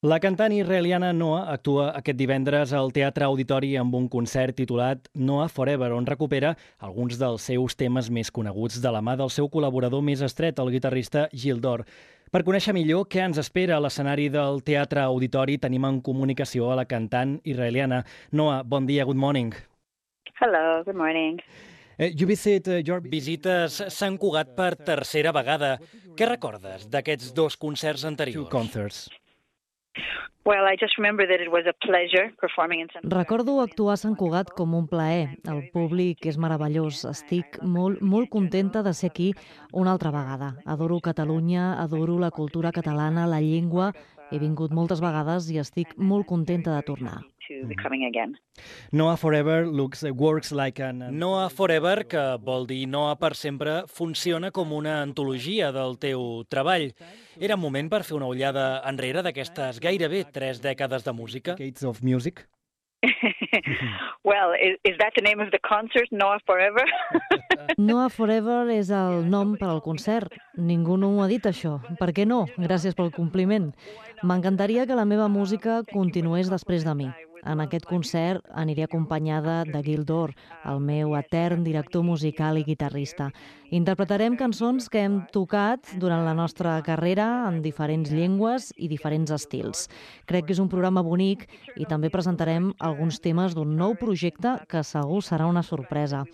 La cantant israeliana Noa actua aquest divendres al Teatre Auditori amb un concert titulat Noa Forever, on recupera alguns dels seus temes més coneguts de la mà del seu col·laborador més estret, el guitarrista Gil Dor. Per conèixer millor què ens espera a l'escenari del Teatre Auditori, tenim en comunicació a la cantant israeliana. Noa, bon dia, good morning. Hello, good morning. Visites Sant Cugat per tercera vegada. Què recordes d'aquests dos concerts anteriors? Well, I just remember that it was a pleasure performing in Sant Cugat. Recordo actuar a Sant Cugat com un plaer. El públic és meravellós. Estic molt contenta de ser aquí una altra vegada. Adoro Catalunya, adoro la cultura catalana, la llengua. He vingut moltes vegades i estic molt contenta de tornar. Noa Forever Noa Forever, que vol dir Noa per sempre, funciona com una antologia del teu treball. Era moment per fer una ullada enrere d'aquestes gairebé 3 dècades de música? Well, is that the name of the concert, Noa Forever? Noa Forever és el nom per al concert. Ningú no ho ha dit, això. Per què no? Gràcies pel compliment. M'encantaria que la meva música continués després de mi. En aquest concert aniré acompanyada de Gil Dor, el meu etern director musical i guitarrista. Interpretarem cançons que hem tocat durant la nostra carrera en diferents llengües i diferents estils. Crec que és un programa bonic i també presentarem alguns temes d'un nou projecte que segur serà una sorpresa.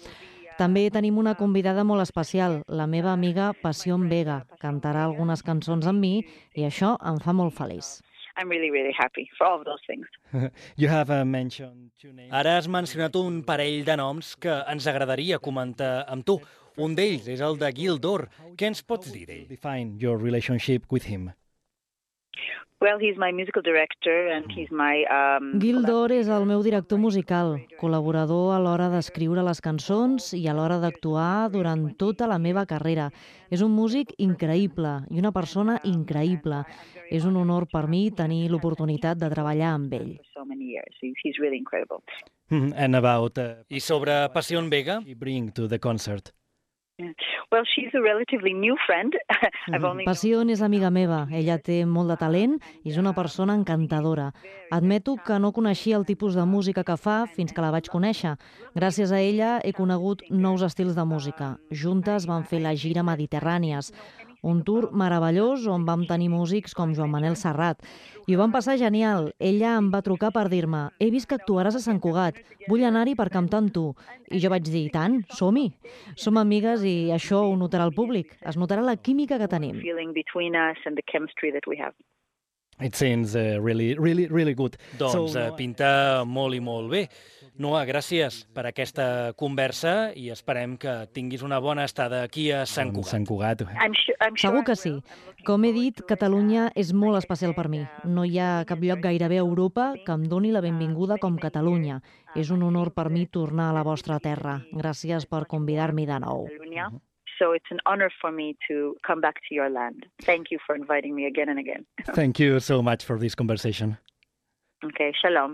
També tenim una convidada molt especial, la meva amiga Passion Vega. Cantarà algunes cançons amb mi i això em fa molt feliç. I'm really happy for all of those things. Ara has mencionat un parell de noms que ens agradaria comentar amb tu. Un d'ells és el de Gil Dor. Què ens pots dir d'ell? Define your relationship with him. Well, he's my musical director and he's my... Gil Dor és el meu director musical, col·laborador a l'hora d'escriure les cançons i a l'hora d'actuar durant tota la meva carrera. És un músic increïble i una persona increïble. És un honor per mi tenir l'oportunitat de treballar amb ell. He's really incredible. I sobre Passion Vega? Well, she's a relatively new friend. Passion és amiga meva. Ella té molt de talent i és una persona encantadora. Admeto que no coneixia el tipus de música que fa fins que la vaig conèixer. Gràcies a ella he conegut nous estils de música. Juntes vam fer la gira Mediterrànies, un tour meravellós on vam tenir músics com Joan Manel Serrat. I ho vam passar genial. Ella em va trucar per dir-me «He vist que actuaràs a Sant Cugat, vull anar-hi per cantar amb tu». I jo vaig dir «Tant, som-hi». Som amigues i això ho notarà el públic. Es notarà la química que tenim. It seems really good. Doncs pinta molt i molt bé. Noa, gràcies per aquesta conversa i esperem que tinguis una bona estada aquí a Sant Cugat. Segur que sí. Com he dit, Catalunya és molt especial per mi. No hi ha cap lloc gairebé a Europa que em doni la benvinguda com Catalunya. És un honor per mi tornar a la vostra terra. Gràcies per convidar-m'hi de nou. So it's an honor for me to come back to your land. Thank you for inviting me again and again. Thank you so much for this conversation. Okay, shalom.